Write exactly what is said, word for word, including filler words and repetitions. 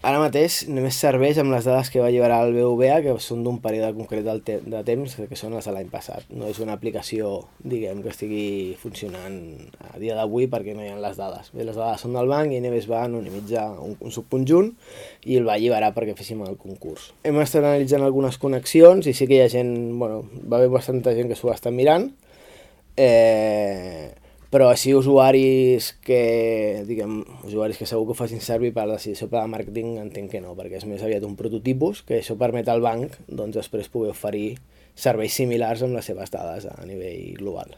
Ara mateix només serveix amb les dades que va alliberar el B B V A, que són d'un període concret del te de temps, que són les de l'any passat. No és una aplicació, diguem, que estigui funcionant a dia d'avui perquè no hi ha les dades. Bé, les dades són del banc i Neves va anonimitzar un, un subconjunt i el va alliberar perquè féssim el concurs. Hem estat analitzant algunes connexions i sí que hi ha gent, bueno, va haver bastanta gent que s'ho està mirant, eh... però així usuaris que, diguem, usuaris que segur que ho facin servir per la decisió per al màrqueting entenc que no, perquè és més aviat un prototipus que això permet al banc doncs, després poder oferir serveis similars amb les seves dades a nivell global.